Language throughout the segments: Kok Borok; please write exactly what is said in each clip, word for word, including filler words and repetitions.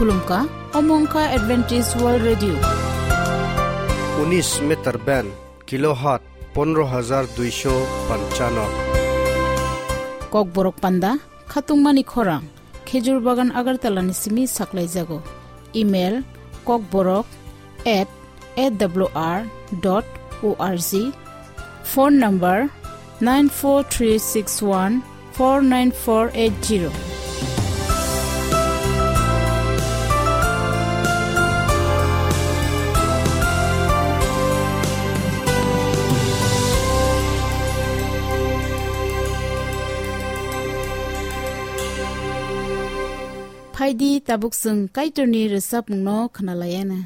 Khulumkha, omo wngkha Adventist World Radio. Unis meter band, kilohertz pondro hajar duisho panchano. Kokborok panda, khatungmani khorang, Khejur Bagan Agartala ni simi saklaijago. Email, kokborok at A W R dot O R G. Phone number nine four three six one four nine four eight zero. Phaidi tabuk chwng Kaitorni rwchapmungno khwnalaiana.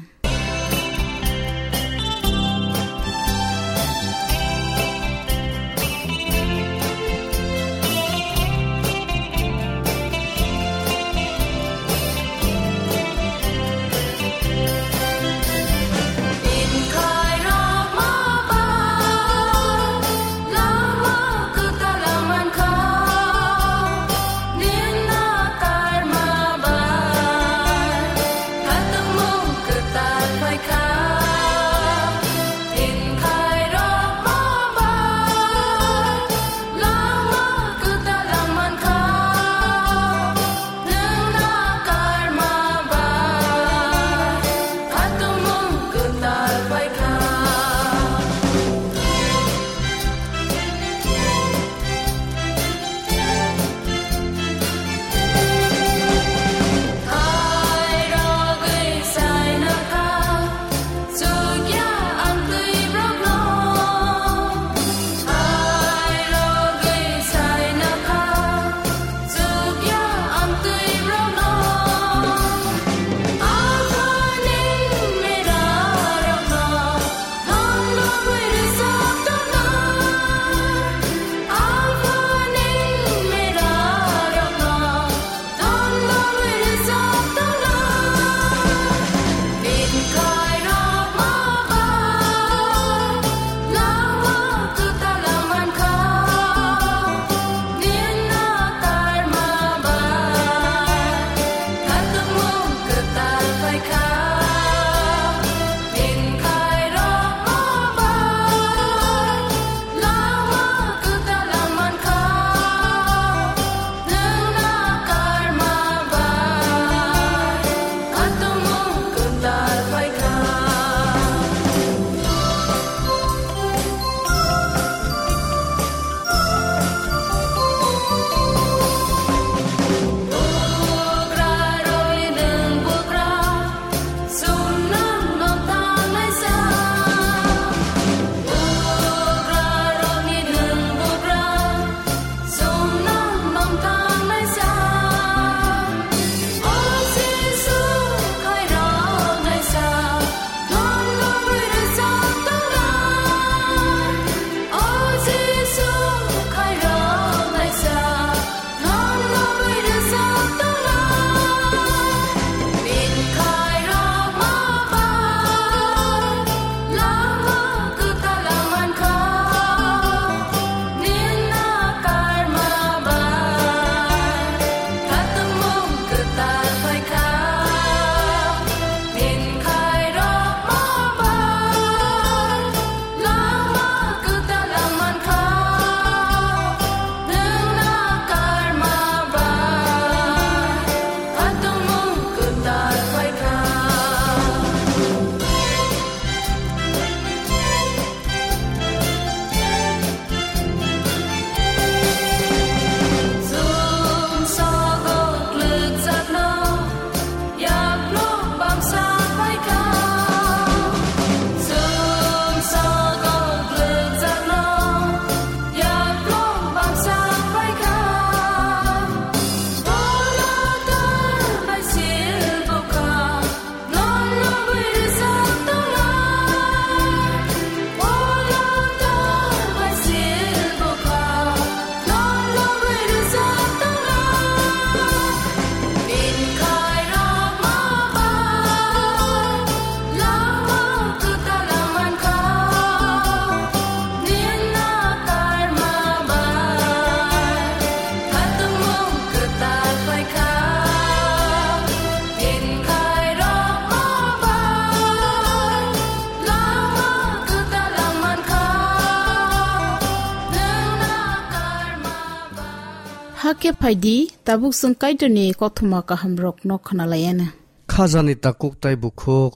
Hakhe phai di, tabuk chwng Kaitorni kothoma kahamrokno khna lai anw. Khajani takhuk tei bukhuk,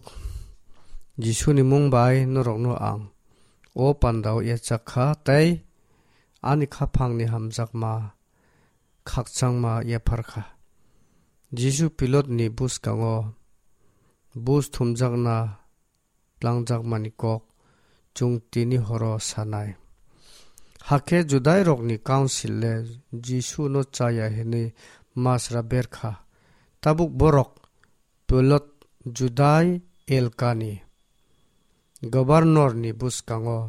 Jisuni mung bai norokno ang o pandao yachak kha tei ani khaphangni hamjakma khakchangma yaphar kha. Jisu Pilatni bwskango bus thumjakna tlangjakmani kok chwng tini horo sanai. Hakhe Judairokni Council le Jisuno chaya hwnwi masra ber kha. Tabuk borok Pilat Judai elkani gobornorni bwskango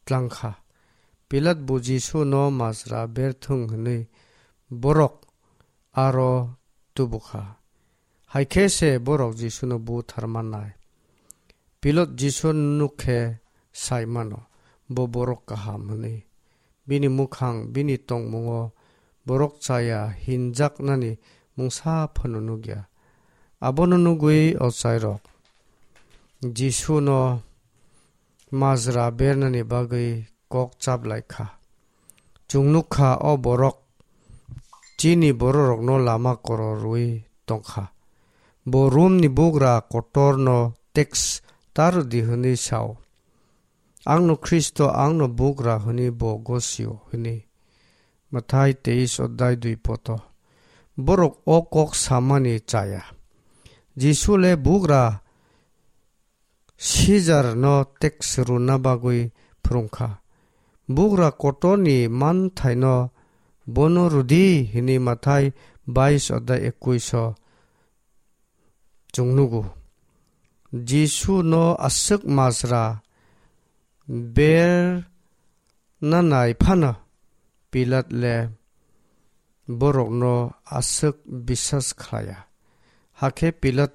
tlang kha. Pilat bo Jisuno masra ber thung hwnwi borok aro tubu kha. Hai khe se borok Jisuno buthar mannai. Pilat Jisuno nuk khe sai mano, bo borok kaham hwnwi. Bini mukhang, bini tongmungo borok chaya hinjaknani mungsa phano nukya. Abono nugwi ochairok Jisuno majra bernani bagwi kok chaplai kha. Chwng nuk kha o borok chini bororokno lama kororwi tong kha. Bo Romni bugra kotorno teks ta rw di hwnwi sa-o. Angno Khristo, angno bugra hwnwi bo gosio hwnwi. Mathai teis odhai dui poto. Borok o kok samani chaya. Jisu le bugra Sijarno teks rwna bagwi phrwng kha. Bugra kotorni manthaino bono rw di hwnwi Mathai bais odhai ekuis o chwng nugo. Jisuno aswk majra ber nanai phano Pilat le borokno aswk bisas khlaiya. Hakhe Pilat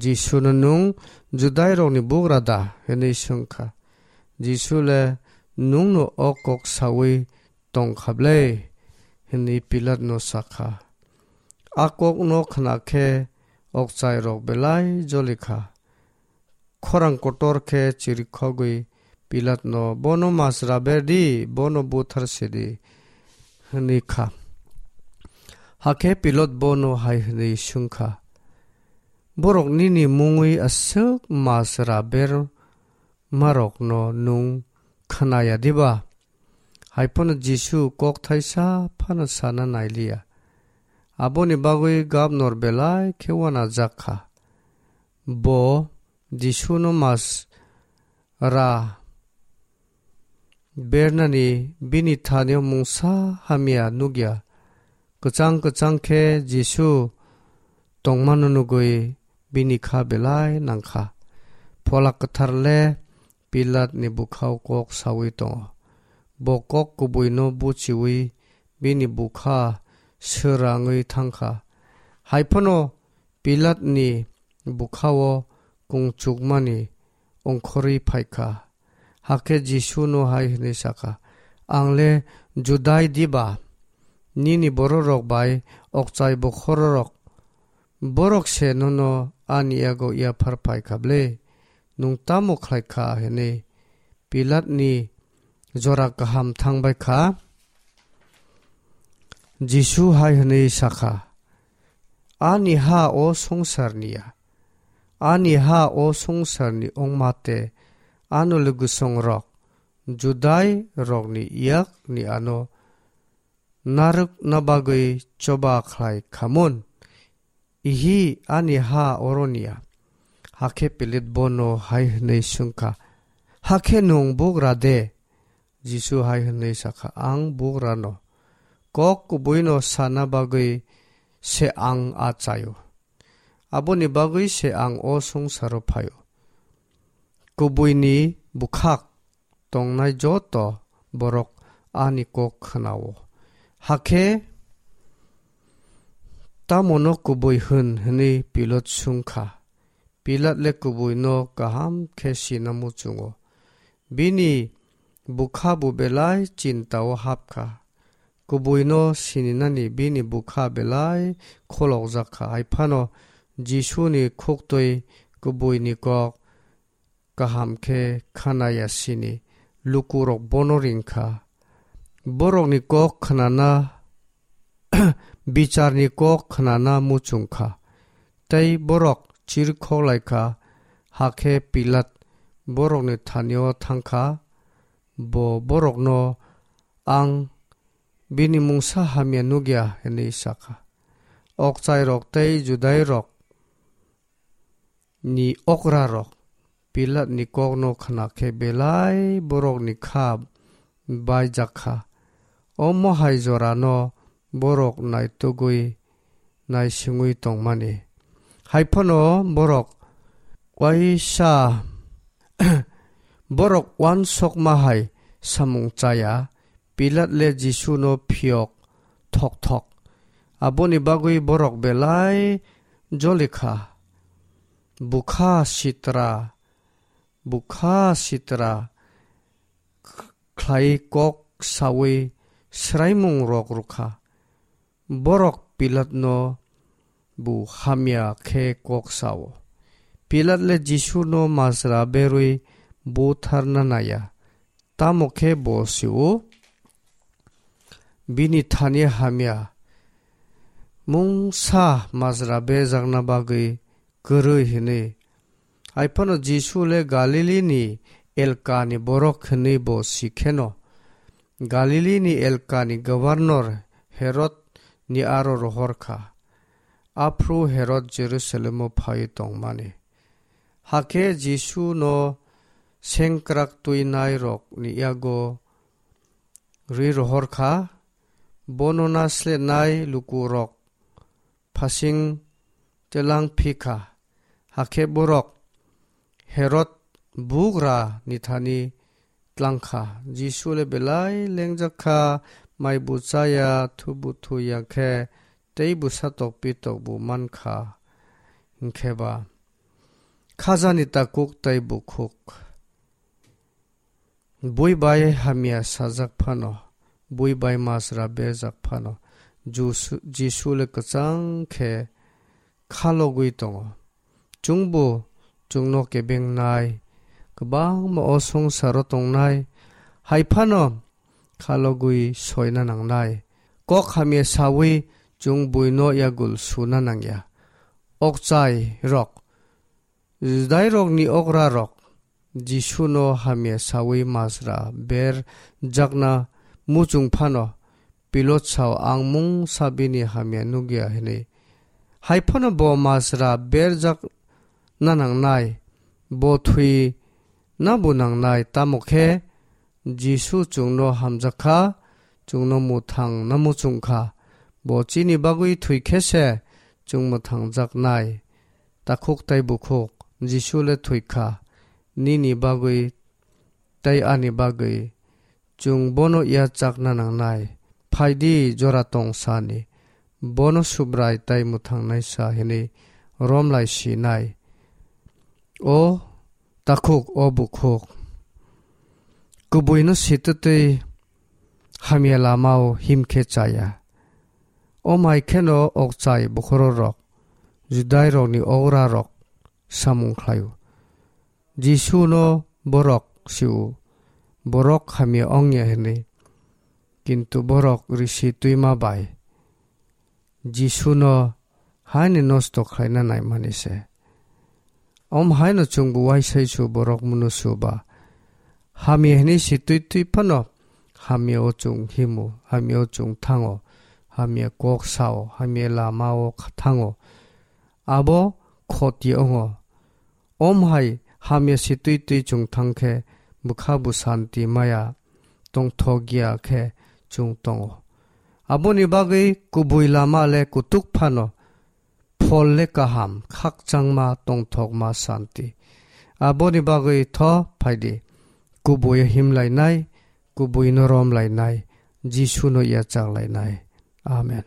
Jisuno, "Nwng Judairokni bugra da?" hwnwi swng kha. Jisu le, "Nwngno o kok saui tong kha ble," hwnwi Pilatno sa kha. A kokno khna khe okchairok belai joli kha. Khorang kotor khe chirikhogwi Pilatno, "Bono majra ber di, bono buthar se di," hwnwi kha. Hakhe Pilat bono hai hwnwi swng kha, "Borok nini mungwi aswk majra bermarokno nwng khna ya diba?" Hai phano Jisu kok thaisa phano sana nai liya. Aboni bagwi gabnor belai khe uanajak kha. Bo Jisuno majra bernani bini thani-o mungsa hamya nukya. Kwchang kwchang khe Jisu tongmano nugwi bini kha belai nang kha. Phola Kwthar le Pilatni bwkha-o kok saui tongo. Bo kok kubuino buchiui bini bwkha swrangwi thang kha. Hai phano Pilatni bwkha-o kungchukmani ongkhorwi phai kha. Hakhe Jisuno hai hwnwi sa kha, "Ang le Judai diba? Nini bororok bai okchai bokhorok, borok se nono ani yago yaphar phai kha ble? Nwng tamo khlai kha?" hwnwi Pilatni jora kaham thang bai kha. Jisu hai hwnwi sa kha, "Ani ha o swngcharni ya. Ani ha o swngcharni wngma tei ano lwgwsongrok Judairokni yakni ano narwkna bagwi choba khlai kha mun. Ihi ani ha oroni ya." Hakhe Pilat bono hai hwnwi swng kha, "Hakhe nwng bugra de?" Jisu hai hwnwi sa kha, "Ang bugrano. Kok kubuino sana bagwi se ang a chaio. Aboni bagwi se ang o swngcharo phaio. Kubuini bwkhak tongnai joto borok ani kok khna-o. Hakhe tamono kubui hwn?" hwnwi Pilat swng kha. Pilat le kubuino kaham khe sina muchungo. Bini bwkha bo belai chinta-o hap kha. Kubuino sininani bini bwkha belai kholokjak kha. Hai phano Jisuni khuktwi kubuini kok kaham khe khna ya sini lukurok bono ring kha. Borokni kok khnana bicharni kok khnana muchung kha. Tei borok chirikhok lai kha, hakhe Pilat borokni thani-o thang kha. Bo borokno, "Ang bini mungsa hamya nukya," hwnwi sa kha. Okchairok tei Judairok ni okrarok Pilatni kokno khna khe belai borokni kha baijak kha. Omo hai jorano borok naitugwi naisingwi tongmani. Hai phano borok waisa, borok uansukma hai samung chaya, Pilat le Jisuno phiyok thok thok. Aboni bagwi borok belai joli kha. Bukha sitra, bukha sitra khlai kok saui swraimung rok rwkha. Borok Pilatno bo hamya khe kok sao. Pilat le Jisuno majra berwi butharna naya. Tamo khe bo sio, bini thani hamya mungsa majra berjakna bagwi kwrwi hwnwi. Hai phano Jisu le Galilini elkani borok hwnwi bo si kheno. Galilini elkani governor Herod ni aro rohor kha. Aphuru Herod Jerusalemo phaiwi tongmani. Hakhe Jisuno sengkrak twinairokni yago rwi rohor kha. Bono naslenai lukurok phasing telang phi kha. Hakhe borok Herod bugra ni thani tlang kha. Jisu le belai lengjak kha, mai bo chaya, thu bo thu ya khe, tei bwsa tok pi tok bo man kha. Hinkhe ba khajani takhuk tei bukhuk. Bui bai hamya sajak phano, bui bai majra berjak phano, Jusu-, Jisu le kwchang khe khalogwi tongo. Chwngbo chwngno kebengnai, kwbangma o songsaro tongnai, hai phano khalogwi soina nangnai. Kok hamya saui chwng buino yagul suna nangya. Okchai rok, Judairokni okrarok Jisuno hamya saui majra berjakna muchung phano Pilot sao, "Ang mungsa bini hamya nukya," hwnwi. Hai phano bo majra berjakna nangnai, bo thwina bo nangnai, tamo khe Jisu chwngno hamjak kha, chwngno mwthangna muchung kha. Bo chini bagwi thwi khe se chwng mwthangjaknai. Takhuk tei bukhuk, Jisu le thwi kha, nini bagwi tei ani bagwi. Chwng bono yachakna nangnai. Phai di, jora tong sani. Bono Subrai tei mwthangnai sa hwnwi romlai sinai. O takhuk, o bukhuk, kubuino sitwtwi hamya lamao him khe chaya. O mai kheno okchai bokhorok, Judairokni okrarok samung khlaio. Jisuno borok sio, borok hamya ongya hwnwi, kintu borok risi twima bai Jisuno haino nosto khlaina naimani se. Om haino chwngbo uaisai su borok munusu ba. Hamya hwnwi si twi twi phano hamya o chwng himo, hamya o chwng thango, hamya kok sao, hamya lama o kha-, thango. Abo khoti wngo. Om hai hamya si twi twi chwng thang khe bwkha bo santi maya tongthok ya khe chwng tongo. Aboni bagwi kubui lama le kutuk phano, phol le kaham, khakchangma tongthokma santi. Aboni bagwi tho phai di, kubui himlainai, kubuino romlainai, Jisuno yachaklainai. Amen.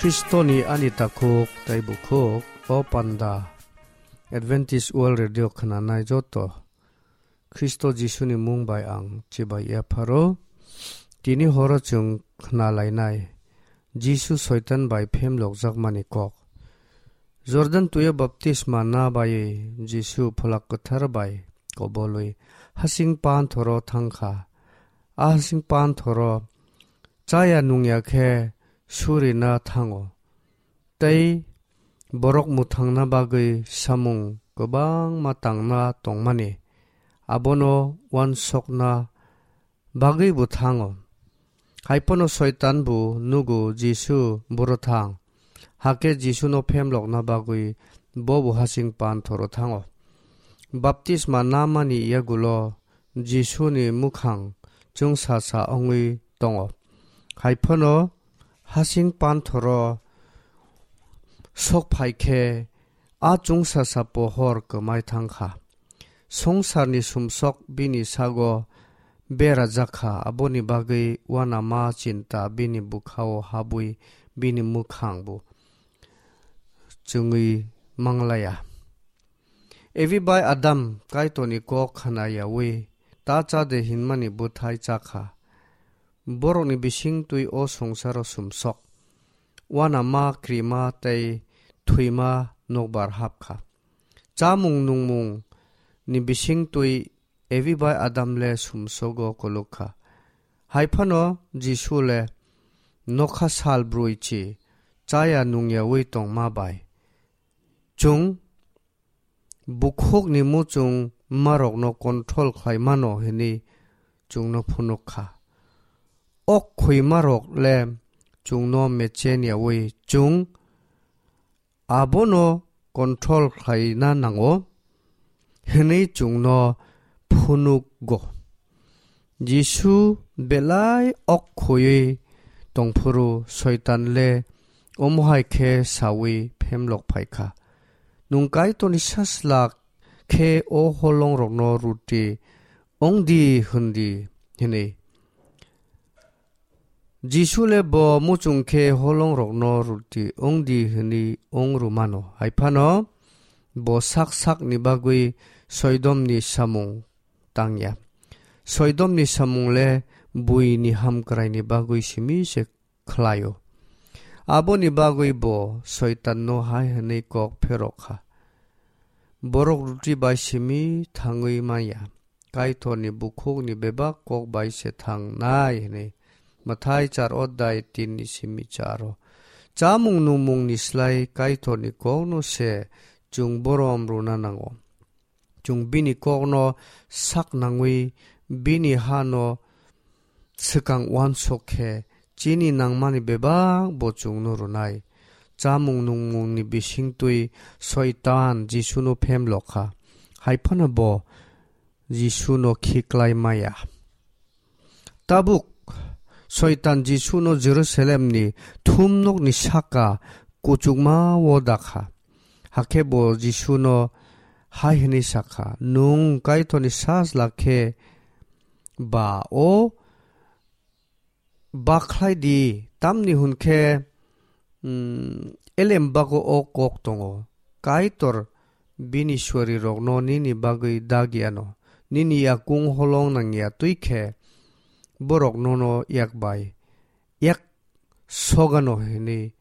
Khristoni ani takhuk tei bukhuk, o panda Adventist World Radio khwnanai joto Khristo Jisuni mung bai ang chibai yapharo. Tini horo chwng khna lainai Jisu Soitan bai phemlokjakmani kok. Jordan twi-o baptisma na baiwi Jisu Pholak Kwthar bai kobolwi hasing panthoro thang kha. A hasing panthoro chaya nungya khe surina thango. Tei borok mwthangna bagwi samung kwbangma tangna tongmani, abono uansukna bagwibo thango. Hai phano Soitan bo nugo Jisu buro thang, hakhe Jisuno phemlokna bagwi bobo hasing panthoro thango. Baptisma namani yagulo Jisuni mwkhang chwngsasa wngwi tongo. Hai phano hasing panthoro sok phai khe a chwngsasa pohor kwmai thang kha. Songsarni sumsok bini sago berajak kha, aboni bagwi uanama chinta bini bwkhao habwi bini mwkhang bo chwngwi manglaiya. Evi bai Adam Kaitorni kok khna yaui ta cha de hinmani bwthai cha kha. Borokni bising twi o songsaro sumsok. Uanama, krima tei thwima nokbar hap kha. Chamung nungmung ni bising twi Evi bai Adam le sumsogo kolok kha. Hai phano Jisu le nokha sal brwi chi chaya nungyaui tongma bai chwng bukhukni muchung marokno control khlai mano hwnwi chwngno phunuk kha. Ok khwi marok le chwngno mechen yaui chwng abono control khlaina nango hwnwi chwngno phunukgo. Jisu belai ok khwiwi tongphuru Soitan le omo hai khe saui phemlok phai kha, "Nwng Kaitorni Sajla khe o holongrokno ruti wng di," hwn di, hwnwi. Jisu le bo muchung khe holongrokno ruti wng di hwnwi wng rw mano. Hai phano bo sak sakni bagwi Soidomni samung tang ya. Soidomni samung le buini hamkraini bagwi simi se khlai-o. Aboni bagwi bo Soitanno hai hwnwi kok pherok kha, "Borok ruti bai simi thangwi man ya, Kaitorni bukhukni bebak kok bai se thangnai," hwnwi. Mathai char odai tin ni simi charo. Chamung nungmungni slai Kaitorni kokno se chwng borom rwna nango. Chwng bini kokno sak nangwi bini hano swkang uansuk khe chini nangmani bebak bo chwngno rwnai. Chamung nungmungni bisingtwi Soitan Jisuno phemlok kha, hai phano bo Jisuno khiklai maya. Tabuk Soitan Jisuno Jerusalemni thumnokni saka kuchukma-o dakha. Hakhe bo Jisuno hai hwnwi sakha, "Nwng Kaitorni Sajla khe ba o bakhlai di, tamni hwn khe, mm, elembago o kok tongo, 'Kaitor bini suarirokno nini bagwi dak yano, nini yakung holong nang ya twi khe borok nono yak bai yak sogano," hwnwi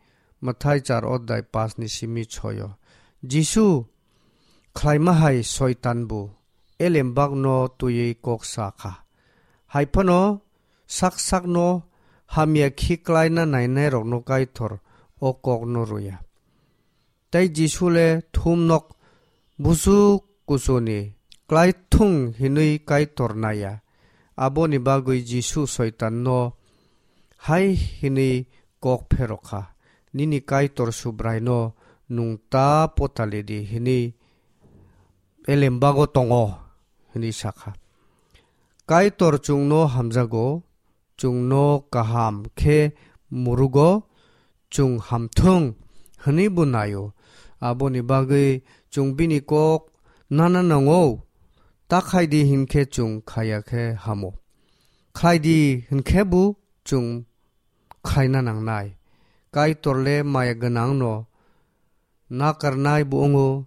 Mathai char odai pash ni simi choi-o. Jisu khlaima hai Soitan bo elembakno twiwi kok sa kha. Hai phano sak sakno hamya khiklaina nainairokno Kaitor o kokno rw ya. Tei Jisu le thumnok buchuk kuchuni klai thung hinwi Kaitor nai ya. Aboni bagwi Jisu Soitanno hai hinwi kok pherok kha, "Nini Kaitor Subraino nwng ta potali di hinwi elembago tongo," hinwi sa kha. Kaitor chwngno hamjago, chwngno kaham khe murugo, chwng hamthung hwnwi bo nai-o. Aboni bagwi chwng bini kok nana nango, ta khai di hwn khe chwng khaya khe hamo. Khlai di hwn khe bo chwng khlaina nangnai. Kaitor le maya gwnangno nakarnai bo wngo,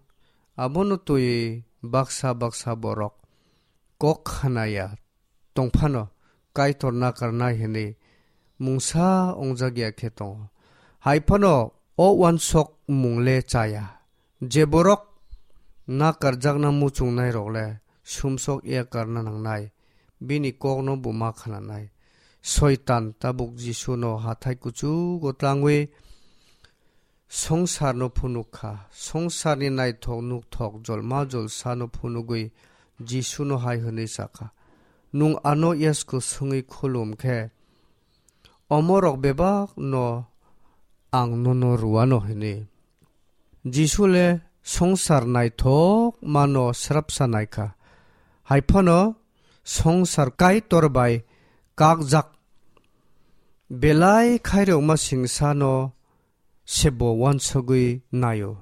abono twiwi baksa baksa borok kok khanaya tongphano Kaitor nakarnai hwnwi mungsa wngjak ya khe tongo. Hai phano o uansuk mung le chaya. Je borok nakarjakna muchungnairok le sumsok ya karna nangnai, bini kokno bo ma khananai. Soitan tabuk Jisuno hathai kuchugo tlangwi songsarno phunuk kha. Songsarni naithok nukthok jolma jolsano phunugwi Jisuno hai hwnwi sa kha, "Nwng ano yasku swngwi khulum khe, omorok bebakno ang nono rwano," hwnwi. Jisu le songsar naithok mano srapsa nai kha. Hai phano songsar Kaitor bai kakjak belai khairokma singsano sebo uansugwi naio.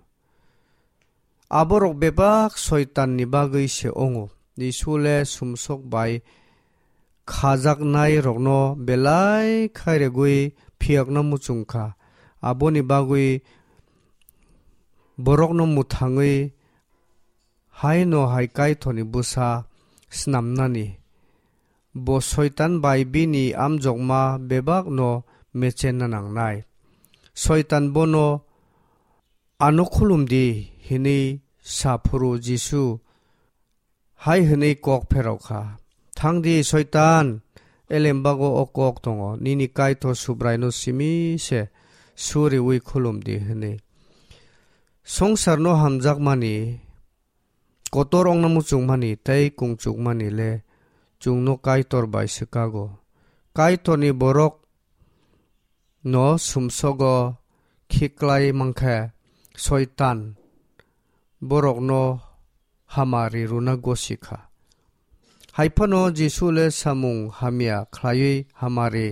Aborok bebak Soitanni bagwi se wngo. Jisu le sumsok bai khajaknairokno belai khairogwi phiyokna muchung kha. Aboni bagwi borokno mwthangwi haino hai Kaitorni bwsa snamnani. Bo Soitan bai bini amjokma bebakno mechenna nangnai. Soitan bono, "Ano khulum di," hwnwi sa phuru Jisu hai hwnwi kok pherok kha, "Thang di, Soitan, elembago o kok tongo, 'Nini Kaitor Subraino simi se suriui khulum di,' hwnwi." Songsarno hamjakmani, kotor ongna muchungmani tei kungchukmani le chwngno Kaitor bai swkago. Kaitorni borok no sumsogo khiklai mankhe, Soitan borokno hamari rwna gosi kha. Hai phano Jisu le samung hamya khlaiwi hamari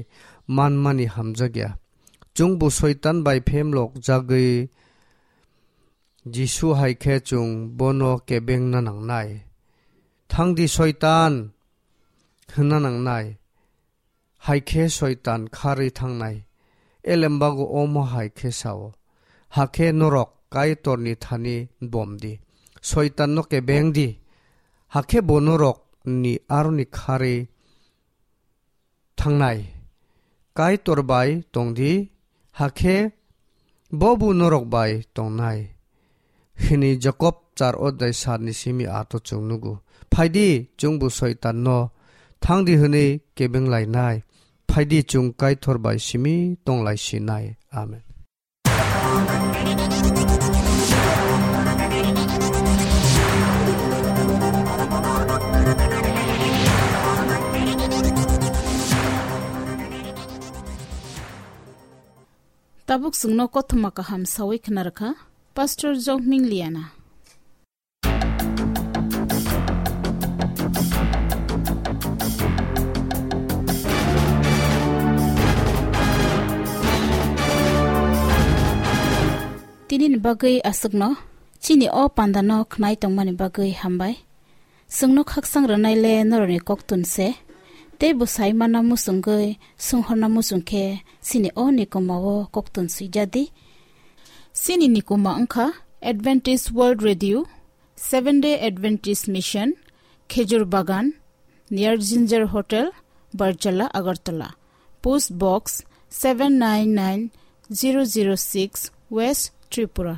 manmani hamjakya. Chwngbo Soitan bai phemlok jagwi Jisu hai khe chwng bono kebengna nangnai. "Thang di, Soitan," hwnna nangnai. Hai khe Soitan kharwi thangnai. Elembago omo hai khe sao, "Hakhe norok Kaitorni thani bom di, Soitanno kebeng di, hakhe bo norokni aroni kharwi thangnai. Kaitor bai tong di, hakhe bobo norok bai tongnai," hwnwi Jakob char odhai saat ni simi aat o chwng nugo. Phai di, chwngbo Soitanno thang di hwnwi kebeng lainai. Phai di, chwng Kaitor bai simi tong lai sinai. Amen. Tabuk chwngno kothoma kaham sawi khna rwkha Pastor Jokming Liana. Tini ni bagwi aswkno, chini o panda no khnai tongmani bagwi hambai. Chwngno khaksang rwnai le norokni koktun se, tei bwsai mana muchungwi sunghorna muchung khe chini o nikoma o koktun swijadi. Chini nikoma wngkha Adventist World Radio, Seven Day Adventist Mission, Khejur Bagan, near Ginger Hotel, Barjala, Agartala. Post Box seven nine nine zero zero six, West Tripura.